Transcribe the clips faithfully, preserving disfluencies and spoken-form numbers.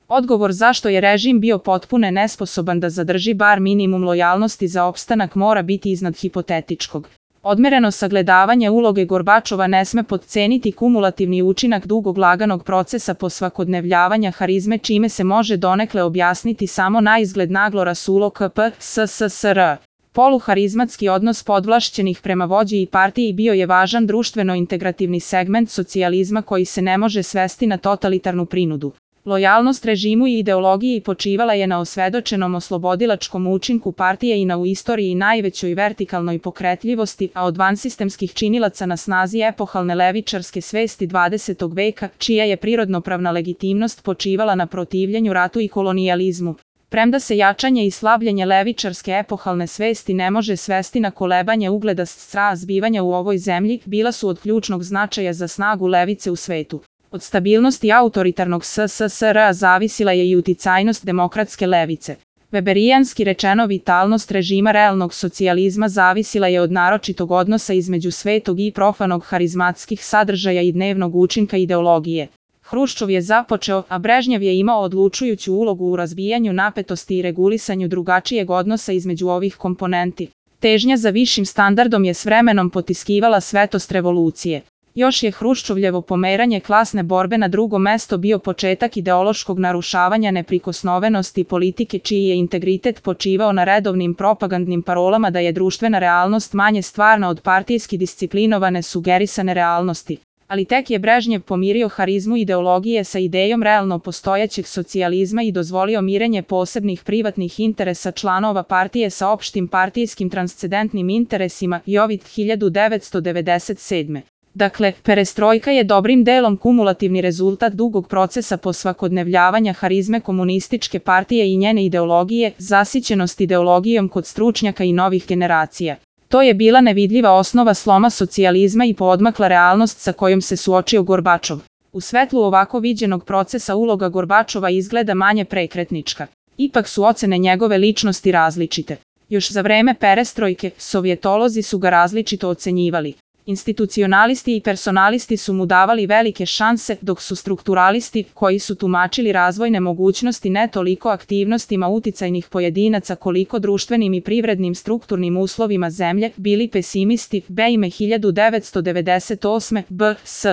Odgovor zašto je režim bio potpuno nesposoban da zadrži bar minimum lojalnosti za opstanak mora biti iznad hipotetičkog. Odmereno sagledavanje uloge Gorbačova ne sme potceniti kumulativni učinak dugog laganog procesa posvakodnevljavanja harizme, čime se može donekle objasniti samo naizgled naglo rasulo K P S S S R. Poluharizmatski odnos podvlašćenih prema vođi i partiji bio je važan društveno-integrativni segment socijalizma koji se ne može svesti na totalitarnu prinudu. Lojalnost režimu i ideologiji počivala je na osvedočenom oslobodilačkom učinku partije i na u istoriji najvećoj vertikalnoj pokretljivosti, a od vansistemskih činilaca na snazi epohalne levičarske svesti dvadesetog veka, čija je prirodnopravna legitimnost počivala na protivljenju ratu i kolonijalizmu. Premda se jačanje i slabljenje levičarske epohalne svesti ne može svesti na kolebanje ugleda stra zbivanja u ovoj zemlji, bila su od ključnog značaja za snagu levice u svetu. Od stabilnosti autoritarnog S S S R zavisila je i uticajnost demokratske levice. Weberijanski rečeno vitalnost režima realnog socijalizma zavisila je od naročitog odnosa između svetog i profanog harizmatskih sadržaja i dnevnog učinka ideologije. Hruščov je započeo, a Brežnjev je imao odlučujuću ulogu u razbijanju napetosti i regulisanju drugačijeg odnosa između ovih komponenti. Težnja za višim standardom je s vremenom potiskivala svetost revolucije. Još je Hruščovljevo pomeranje klasne borbe na drugo mesto bio početak ideološkog narušavanja neprikosnovenosti politike, čiji je integritet počivao na redovnim propagandnim parolama da je društvena realnost manje stvarna od partijski disciplinovane sugerisane realnosti. Ali tek je Brežnjev pomirio harizmu ideologije sa idejom realno postojećeg socijalizma i dozvolio mirenje posebnih privatnih interesa članova partije sa opštim partijskim transcendentnim interesima Jovid hiljadu devetsto devedeset sedme. Dakle, perestrojka je dobrim delom kumulativni rezultat dugog procesa posvakodnevljavanja harizme komunističke partije i njene ideologije, zasićenost ideologijom kod stručnjaka i novih generacija. To je bila nevidljiva osnova sloma socijalizma i poodmakla realnost sa kojom se suočio Gorbačov. U svetlu ovako viđenog procesa uloga Gorbačova izgleda manje prekretnička. Ipak su ocene njegove ličnosti različite. Još za vreme perestrojke, sovjetolozi su ga različito ocenjivali. Institucionalisti i personalisti su mu davali velike šanse, dok su strukturalisti, koji su tumačili razvojne mogućnosti ne toliko aktivnostima uticajnih pojedinaca koliko društvenim i privrednim strukturnim uslovima zemlje, bili pesimisti. Bejme hiljadu devetsto devedeset osme. B S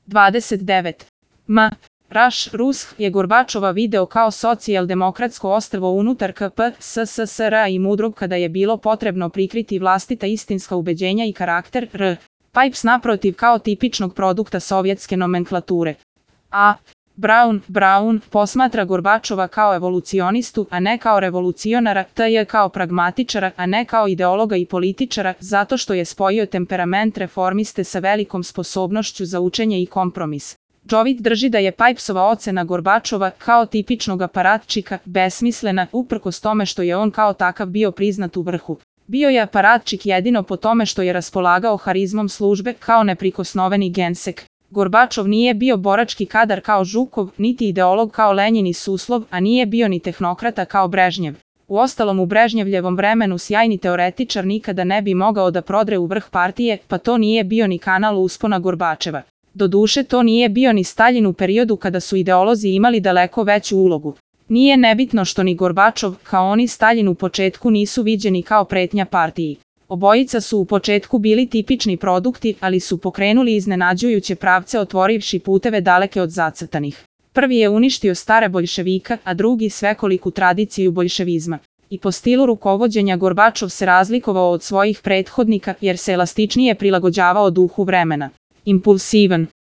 dvadeset devet. M. Raš Rush je Gorbačova video kao socijaldemokratsko ostrvo unutar K P S S S R i mudrog kada je bilo potrebno prikriti vlastita istinska ubeđenja i karakter. R. Pipes naprotiv kao tipičnog produkta sovjetske nomenklature. A. Brown, Brown posmatra Gorbačova kao evolucionistu, a ne kao revolucionara, T. kao pragmatičara, a ne kao ideologa i političara, zato što je spojio temperament reformiste sa velikom sposobnošću za učenje i kompromis. Jovid drži da je Pipesova ocena Gorbačova kao tipičnog aparatčika besmislena, uprkos tome što je on kao takav bio priznat u vrhu. Bio je aparatčik jedino po tome što je raspolagao harizmom službe kao neprikosnoveni gensek. Gorbačov nije bio borački kadar kao Žukov, niti ideolog kao Lenjin i Suslov, a nije bio ni tehnokrata kao Brežnjev. Uostalom u Brežnjevljevom vremenu sjajni teoretičar nikada ne bi mogao da prodre u vrh partije, pa to nije bio ni kanal uspona Gorbačeva. Doduše to nije bio ni Staljin u periodu kada su ideolozi imali daleko veću ulogu. Nije nebitno što ni Gorbačov, kao ni Staljin u početku nisu viđeni kao pretnja partiji. Obojica su u početku bili tipični produkti, ali su pokrenuli iznenađujuće pravce otvorivši puteve daleke od zacrtanih. Prvi je uništio stare boljševika, a drugi svekoliku tradiciju boljševizma. I po stilu rukovođenja Gorbačov se razlikovao od svojih prethodnika jer se elastičnije prilagođavao duhu vremena. Impulsivan,